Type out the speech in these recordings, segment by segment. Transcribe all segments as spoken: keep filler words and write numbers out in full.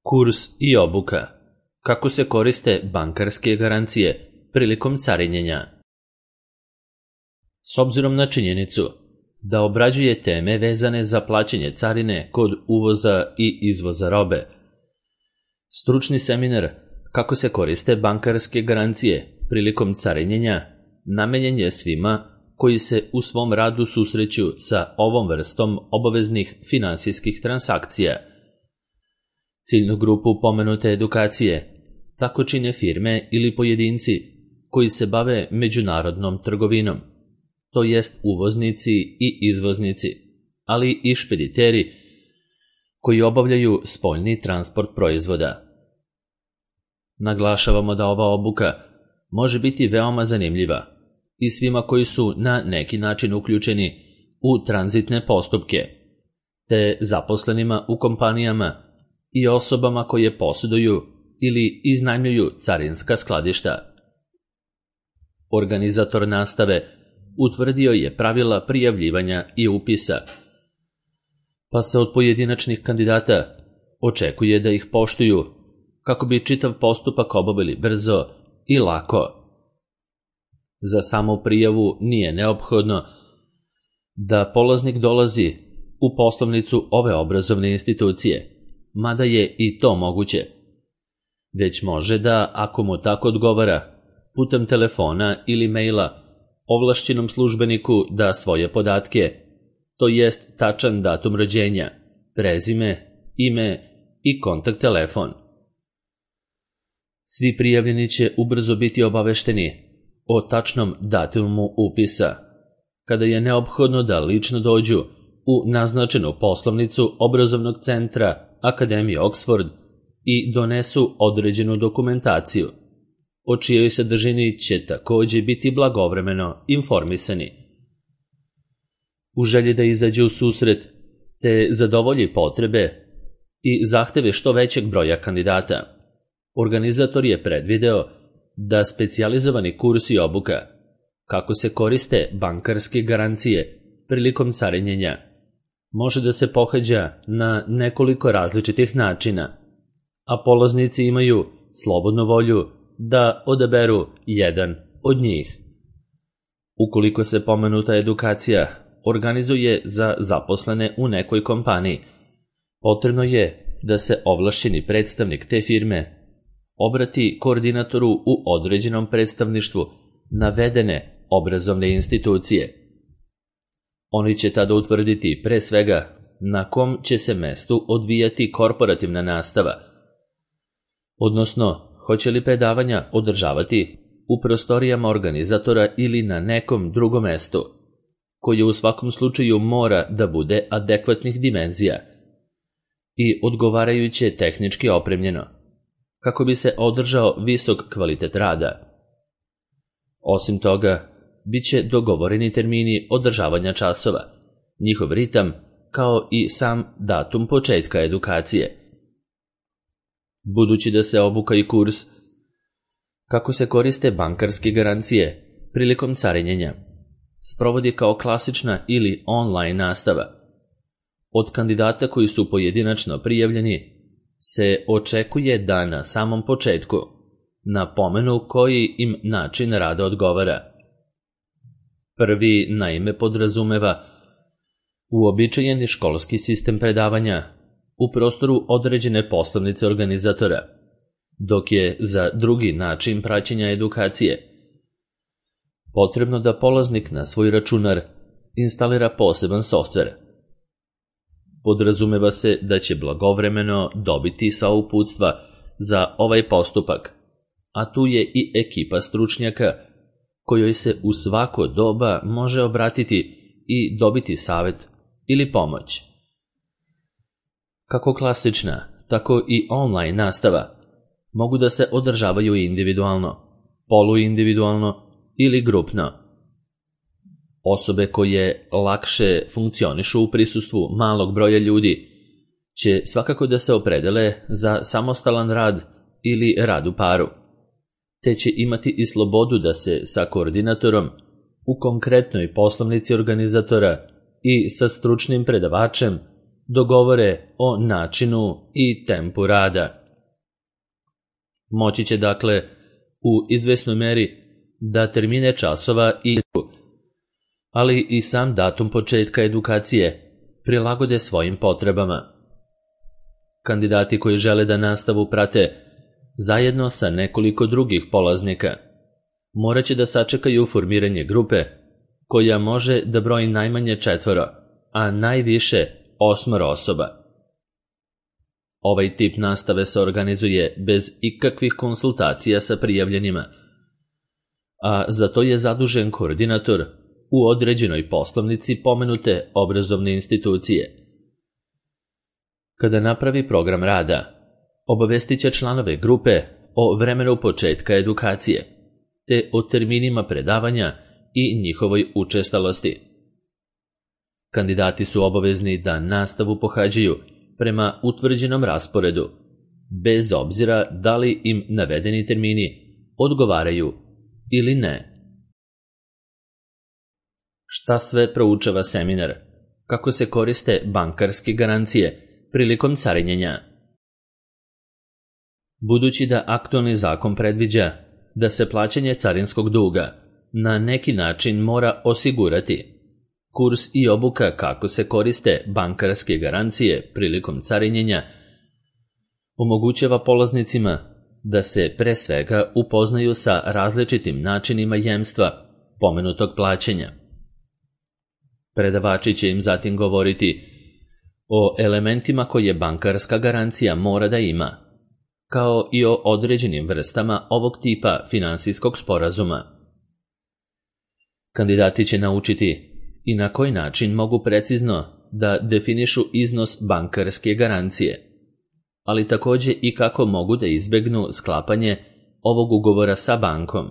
Kurs i obuka. Kako se koriste bankarske garancije prilikom carinjenja? S obzirom na činjenicu da obrađuje teme vezane za plaćanje carine kod uvoza i izvoza robe, stručni seminar Kako se koriste bankarske garancije prilikom carinjenja namenjen je svima koji se u svom radu susreću sa ovom vrstom obaveznih finansijskih transakcija. Ciljnu grupu pomenute edukacije tako čine firme ili pojedinci koji se bave međunarodnom trgovinom, to jest uvoznici i izvoznici, ali i špediteri koji obavljaju spoljni transport proizvoda. Naglašavamo da ova obuka može biti veoma zanimljiva i svima koji su na neki način uključeni u tranzitne postupke, te zaposlenima u kompanijama i osobama koje posjeduju ili iznajmljuju carinska skladišta. Organizator nastave utvrdio je pravila prijavljivanja i upisa, pa se od pojedinačnih kandidata očekuje da ih poštuju kako bi čitav postupak obavili brzo i lako. Za samu prijavu nije neophodno da polaznik dolazi u poslovnicu ove obrazovne institucije, mada je i to moguće. Već može da, ako mu tako odgovara, putem telefona ili maila ovlašćenom službeniku da svoje podatke, to jest tačan datum rođenja, prezime, ime i kontakt telefon. Svi prijavljeni će ubrzo biti obavešteni o tačnom datumu upisa, kada je neophodno da lično dođu u naznačenu poslovnicu obrazovnog centra Akademije Oxford i donesu određenu dokumentaciju, o čijoj sadržini će takođe biti blagovremeno informisani. U želji da izađe u susret te zadovolji potrebe i zahteve što većeg broja kandidata, organizator je predvideo da specijalizovani kurs i obuka kako se koriste bankarske garancije prilikom carinjenja može da se pohađa na nekoliko različitih načina, a polaznici imaju slobodnu volju da odaberu jedan od njih. Ukoliko se pomenuta edukacija organizuje za zaposlene u nekoj kompaniji, potrebno je da se ovlašćeni predstavnik te firme obrati koordinatoru u određenom predstavništvu navedene obrazovne institucije. Oni će tada utvrditi pre svega na kom će se mestu odvijati korporativna nastava, odnosno hoće li predavanja održavati u prostorijama organizatora ili na nekom drugom mestu, koje u svakom slučaju mora da bude adekvatnih dimenzija i odgovarajuće tehnički opremljeno, kako bi se održao visok kvalitet rada. Osim toga, bit će dogovoreni termini održavanja časova, njihov ritam, kao i sam datum početka edukacije. Budući da se obuka i kurs Kako se koriste bankarske garancije prilikom carinjenja sprovodi kao klasična ili online nastava, od kandidata koji su pojedinačno prijavljeni se očekuje da na samom početku napomenu koji im način rada odgovara. Prvi naime podrazumeva uobičajeni školski sistem predavanja u prostoru određene poslovnice organizatora, dok je za drugi način praćenja edukacije potrebno da polaznik na svoj računar instalira poseban softver. Podrazumeva se da će blagovremeno dobiti sva uputstva za ovaj postupak, a tu je i ekipa stručnjaka kojoj se u svako doba može obratiti i dobiti savet ili pomoć. Kako klasična, tako i online nastava mogu da se održavaju individualno, poluindividualno ili grupno. Osobe koje lakše funkcionišu u prisustvu malog broja ljudi će svakako da se opredele za samostalan rad ili rad u paru, te će imati i slobodu da se sa koordinatorom u konkretnoj poslovnici organizatora i sa stručnim predavačem dogovore o načinu i tempu rada. Moći će dakle u izvesnoj meri da termine časova i ali i sam datum početka edukacije prilagode svojim potrebama. Kandidati koji žele da nastavu prate zajedno sa nekoliko drugih polaznika morat će da sačekaju formiranje grupe koja može da broji najmanje četvoro, a najviše osmoro osoba. Ovaj tip nastave se organizuje bez ikakvih konsultacija sa prijavljenima, a za to je zadužen koordinator u određenoj poslovnici pomenute obrazovne institucije. Kada napravi program rada, obavestit će članove grupe o vremenu početka edukacije, te o terminima predavanja i njihovoj učestalosti. Kandidati su obavezni da nastavu pohađaju prema utvrđenom rasporedu, bez obzira da li im navedeni termini odgovaraju ili ne. Šta sve proučava seminar? Kako se koriste bankarske garancije prilikom carinjenja? Budući da aktualni zakon predviđa da se plaćanje carinskog duga na neki način mora osigurati, kurs i obuka kako se koriste bankarske garancije prilikom carinjenja omogućava polaznicima da se pre svega upoznaju sa različitim načinima jemstva pomenutog plaćanja. Predavači će im zatim govoriti o elementima koje bankarska garancija mora da ima, kao i o određenim vrstama ovog tipa finansijskog sporazuma. Kandidati će naučiti i na koji način mogu precizno da definišu iznos bankarske garancije, ali takođe i kako mogu da izbegnu sklapanje ovog ugovora sa bankom.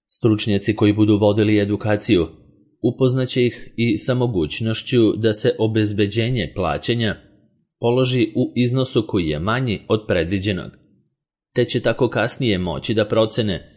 Stručnjaci koji budu vodili edukaciju upoznaće ih i sa mogućnošću da se obezbeđenje plaćanja položi u iznosu koji je manji od predviđenog, te će tako kasnije moći da procene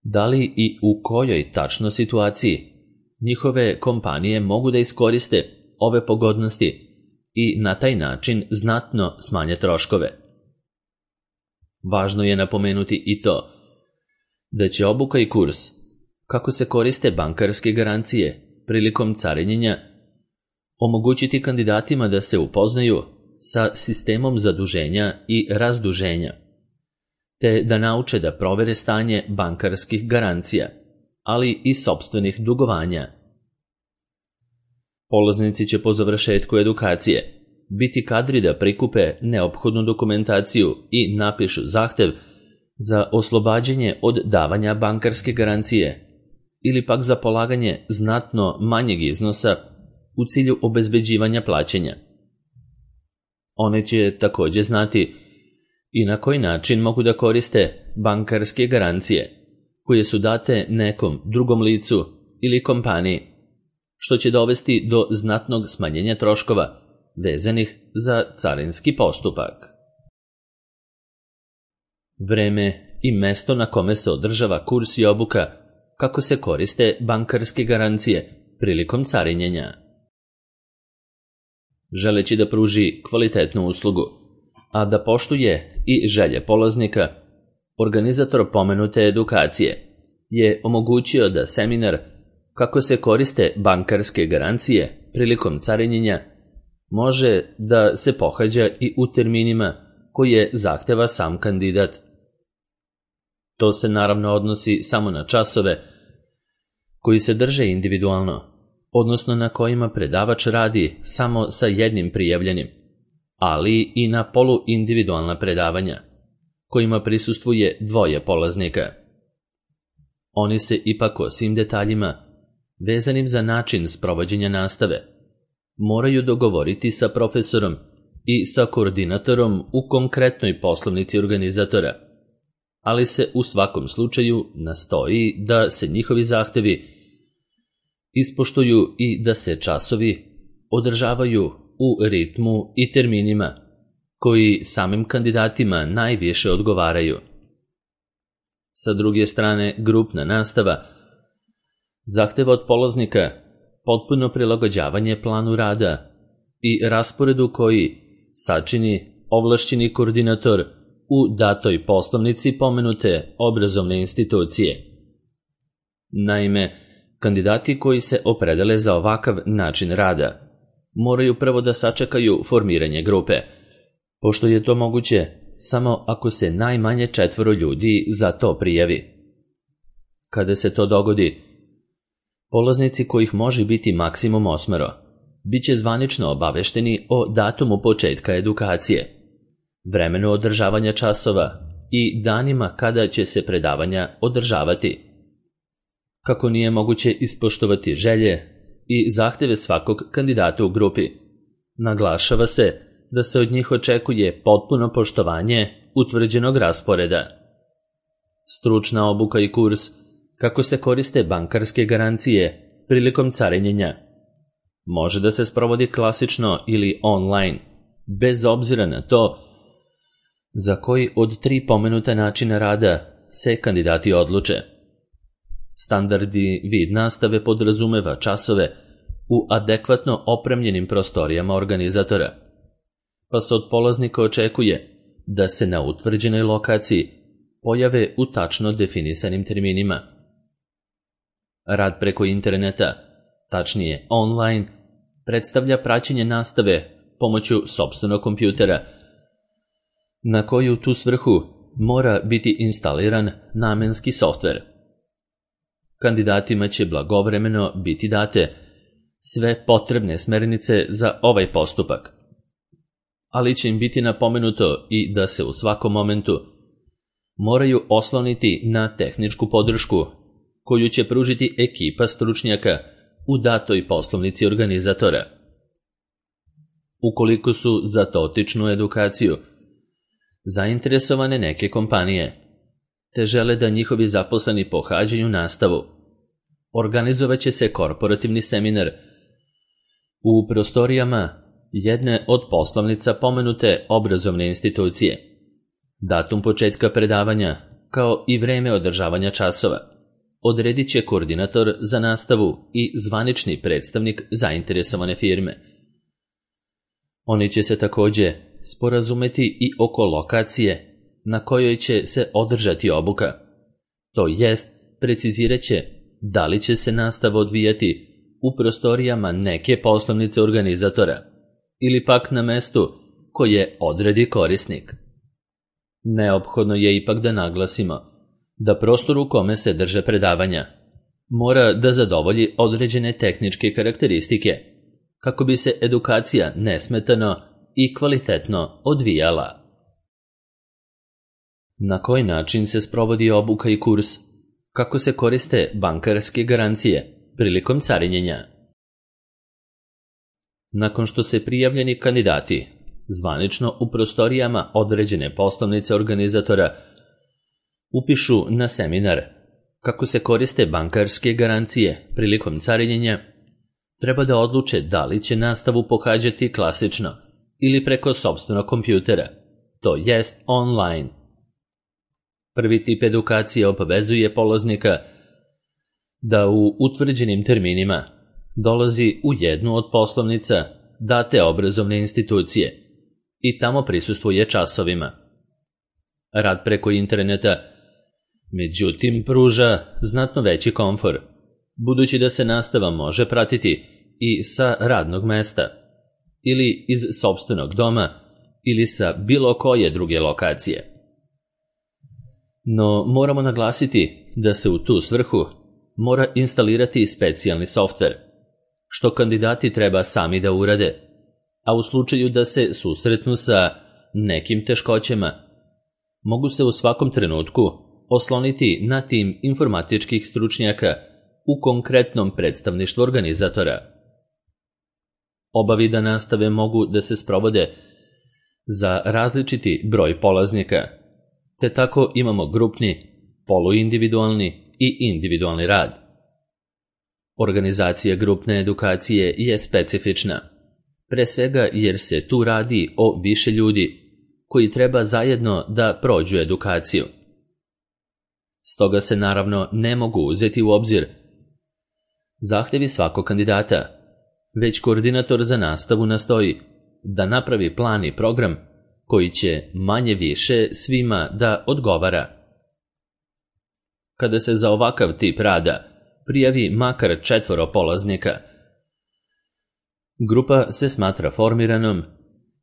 da li i u kojoj tačno situaciji njihove kompanije mogu da iskoriste ove pogodnosti i na taj način znatno smanje troškove. Važno je napomenuti i to da će obuka i kurs kako se koriste bankarske garancije prilikom carinjenja omogućiti kandidatima da se upoznaju sa sistemom zaduženja i razduženja, te da nauče da provere stanje bankarskih garancija, ali i sopstvenih dugovanja. Polaznici će po završetku edukacije biti kadri da prikupe neophodnu dokumentaciju i napišu zahtev za oslobađanje od davanja bankarske garancije ili pak za polaganje znatno manjeg iznosa u cilju obezbeđivanja plaćanja. One će takođe znati i na koji način mogu da koriste bankarske garancije koje su date nekom drugom licu ili kompaniji, što će dovesti do znatnog smanjenja troškova vezanih za carinski postupak. Vreme i mesto na kome se održava kurs i obuka kako se koriste bankarske garancije prilikom carinjenja. Želeći da pruži kvalitetnu uslugu, a da poštuje i želje polaznika, organizator pomenute edukacije je omogućio da seminar kako se koriste bankarske garancije prilikom carinjenja može da se pohađa i u terminima koje zahteva sam kandidat. To se naravno odnosi samo na časove koji se drže individualno, odnosno na kojima predavač radi samo sa jednim prijavljenim, ali i na poluindividualna predavanja, kojima prisustvuje dvoje polaznika. Oni se ipak o svim detaljima, vezanim za način sprovođenja nastave, moraju dogovoriti sa profesorom i sa koordinatorom u konkretnoj poslovnici organizatora, ali se u svakom slučaju nastoji da se njihovi zahtevi ispoštuju i da se časovi održavaju u ritmu i terminima koji samim kandidatima najviše odgovaraju. Sa druge strane, grupna nastava zahteva od polaznika potpuno prilagođavanje planu rada i rasporedu koji sačini ovlašćeni koordinator u datoj poslovnici pomenute obrazovne institucije. Naime, kandidati koji se opredele za ovakav način rada moraju prvo da sačekaju formiranje grupe, pošto je to moguće samo ako se najmanje četvoro ljudi za to prijavi. Kada se to dogodi, polaznici kojih može biti maksimum osmero, bit će zvanično obavešteni o datumu početka edukacije, vremenu održavanja časova i danima kada će se predavanja održavati. Kako nije moguće ispoštovati želje i zahteve svakog kandidata u grupi, naglašava se da se od njih očekuje potpuno poštovanje utvrđenog rasporeda. Stručna obuka i kurs kako se koriste bankarske garancije prilikom carinjenja može da se sprovodi klasično ili online, bez obzira na to za koji od tri pomenuta načina rada se kandidati odluče. Standardni vid nastave podrazumeva časove u adekvatno opremljenim prostorijama organizatora, pa se od polaznika očekuje da se na utvrđenoj lokaciji pojave u tačno definisanim terminima. Rad preko interneta, tačnije online, predstavlja praćenje nastave pomoću sopstvenog kompjutera, na koju tu svrhu mora biti instaliran namenski softver. Kandidatima će blagovremeno biti date sve potrebne smernice za ovaj postupak, ali će im biti napomenuto i da se u svakom momentu moraju osloniti na tehničku podršku koju će pružiti ekipa stručnjaka u datoj poslovnici organizatora. Ukoliko su za dotičnu edukaciju zainteresovane neke kompanije, te žele da njihovi zaposleni pohađaju nastavu, organizovaće se korporativni seminar u prostorijama jedne od poslovnica pomenute obrazovne institucije. Datum početka predavanja, kao i vreme održavanja časova, odredit će koordinator za nastavu i zvanični predstavnik zainteresovane firme. Oni će se takođe sporazumeti i oko lokacije na kojoj će se održati obuka, to jest precizirat će da li će se nastava odvijati u prostorijama neke poslovnice organizatora ili pak na mestu koje odredi korisnik. Neophodno je ipak da naglasimo da prostor u kome se drže predavanja mora da zadovolji određene tehničke karakteristike kako bi se edukacija nesmetano i kvalitetno odvijala. Na koji način se sprovodi obuka i kurs? Kako se koriste bankarske garancije prilikom carinjenja? Nakon što se prijavljeni kandidati zvanično u prostorijama određene poslovnice organizatora upišu na seminar kako se koriste bankarske garancije prilikom carinjenja, treba da odluče da li će nastavu pohađati klasično ili preko sopstvenog kompjutera, to jest online. Prvi tip edukacije obavezuje polaznika da u utvrđenim terminima dolazi u jednu od poslovnica date obrazovne institucije i tamo prisustvuje časovima. Rad preko interneta, međutim, pruža znatno veći komfor, budući da se nastava može pratiti i sa radnog mesta, ili iz sopstvenog doma, ili sa bilo koje druge lokacije. No, moramo naglasiti da se u tu svrhu mora instalirati specijalni softver, što kandidati treba sami da urade, a u slučaju da se susretnu sa nekim teškoćama, mogu se u svakom trenutku osloniti na tim informatičkih stručnjaka u konkretnom predstavništvu organizatora. Oba vida nastave mogu da se sprovode za različiti broj polaznika, te tako imamo grupni, poluindividualni i individualni rad. Organizacija grupne edukacije je specifična, pre svega jer se tu radi o više ljudi koji treba zajedno da prođu edukaciju. Stoga se naravno ne mogu uzeti u obzir zahtevi svakog kandidata, već koordinator za nastavu nastoji da napravi plan i program koji će manje više svima da odgovara. Kada se za ovakav tip rada prijavi makar četvoro polaznika, grupa se smatra formiranom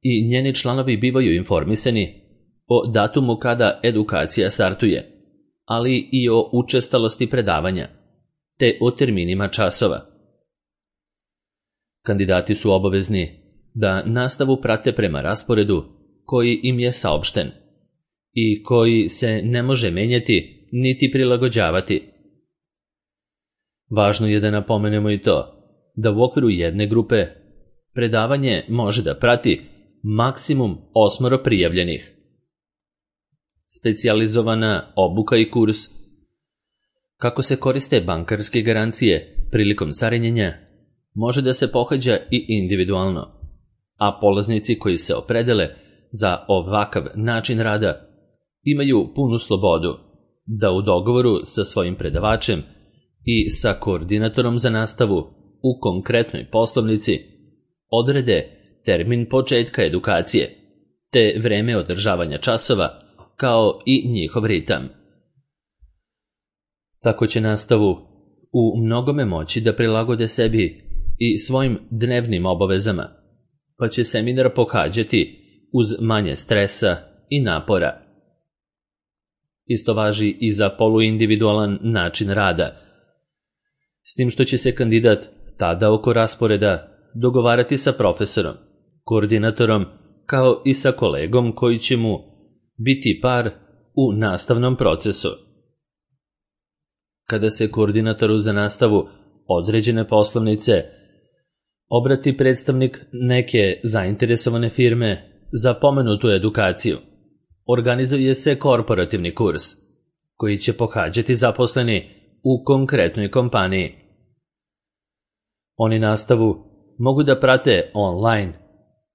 i njeni članovi bivaju informisani o datumu kada edukacija startuje, ali i o učestalosti predavanja, te o terminima časova. Kandidati su obavezni da nastavu prate prema rasporedu koji im je saopšten i koji se ne može menjati niti prilagođavati. Važno je da napomenemo i to da u okviru jedne grupe predavanje može da prati maksimum osmoro prijavljenih. Specijalizovana obuka i kurs kako se koriste bankarske garancije prilikom carinjenja može da se pohađa i individualno, a polaznici koji se opredele za ovakav način rada imaju punu slobodu da u dogovoru sa svojim predavačem i sa koordinatorom za nastavu u konkretnoj poslovnici odrede termin početka edukacije te vreme održavanja časova kao i njihov ritam. Tako će nastavu u mnogome moći da prilagode sebi i svojim dnevnim obavezama, pa će seminar pohađati uz manje stresa i napora. Isto važi i za poluindividualan način rada, s tim što će se kandidat tada oko rasporeda dogovarati sa profesorom, koordinatorom, kao i sa kolegom koji će mu biti par u nastavnom procesu. Kada se koordinatoru za nastavu određene poslovnice obrati predstavnik neke zainteresovane firme za pomenutu edukaciju, organizuje se korporativni kurs koji će pohađati zaposleni u konkretnoj kompaniji. Oni nastavu mogu da prate online,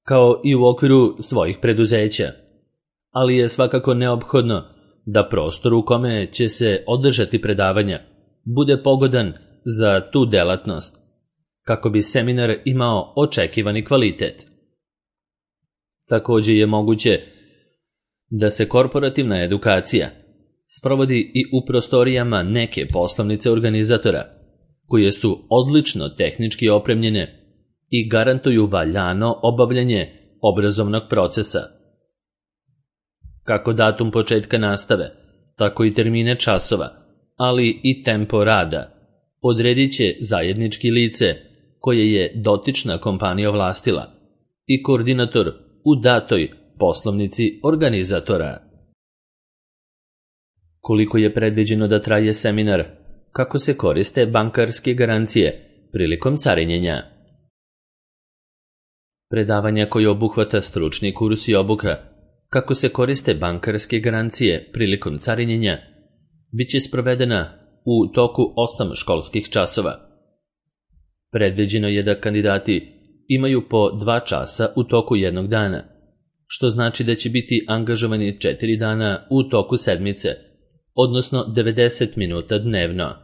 kao i u okviru svojih preduzeća, ali je svakako neophodno da prostor u kome će se održati predavanja bude pogodan za tu delatnost, kako bi seminar imao očekivani kvalitet. Također je moguće da se korporativna edukacija sprovodi i u prostorijama neke poslovnice organizatora, koje su odlično tehnički opremljene i garantuju valjano obavljanje obrazovnog procesa. Kako datum početka nastave, tako i termine časova, ali i tempo rada odredit će zajednički lice koje je dotična kompanija ovlastila i koordinator u datoj poslovnici organizatora. Koliko je predviđeno da traje seminar, kako se koriste bankarske garancije prilikom carinjenja? Predavanja koje obuhvata stručni kurs i obuka kako se koriste bankarske garancije prilikom carinjenja bit će sprovedena u toku osam školskih časova. Predviđeno je da kandidati imaju po dva časa u toku jednog dana, što znači da će biti angažovani četiri dana u toku sedmice, odnosno devedeset minuta dnevno.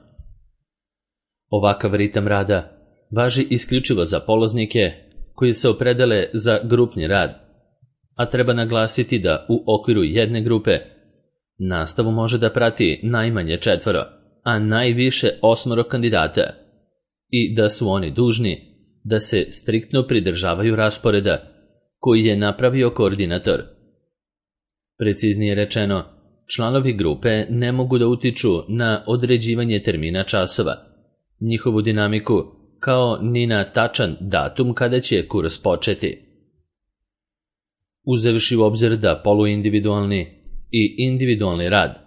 Ovakav ritam rada važi isključivo za polaznike koji se opredele za grupni rad, a treba naglasiti da u okviru jedne grupe nastavu može da prati najmanje četvoro, a najviše osmoro kandidata i da su oni dužni da se striktno pridržavaju rasporeda koji je napravio koordinator. Preciznije rečeno, članovi grupe ne mogu da utiču na određivanje termina časova, njihovu dinamiku, kao ni na tačan datum kada će kurs početi. Uzevši u obzir da poluindividualni i individualni rad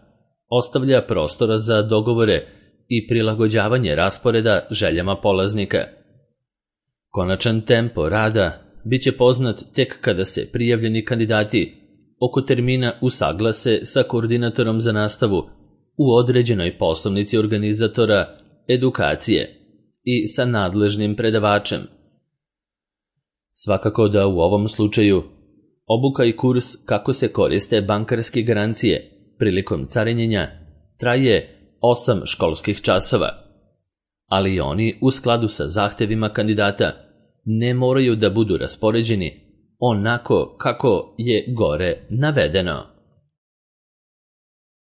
ostavlja prostora za dogovore i prilagođavanje rasporeda željama polaznika. Konačan tempo rada bit će poznat tek kada se prijavljeni kandidati oko termina usaglase sa koordinatorom za nastavu u određenoj poslovnici organizatora edukacije i sa nadležnim predavačem. Svakako da u ovom slučaju obuka i kurs kako se koriste bankarske garancije prilikom carinjenja traje osam školskih časova, ali oni u skladu sa zahtevima kandidata ne moraju da budu raspoređeni onako kako je gore navedeno.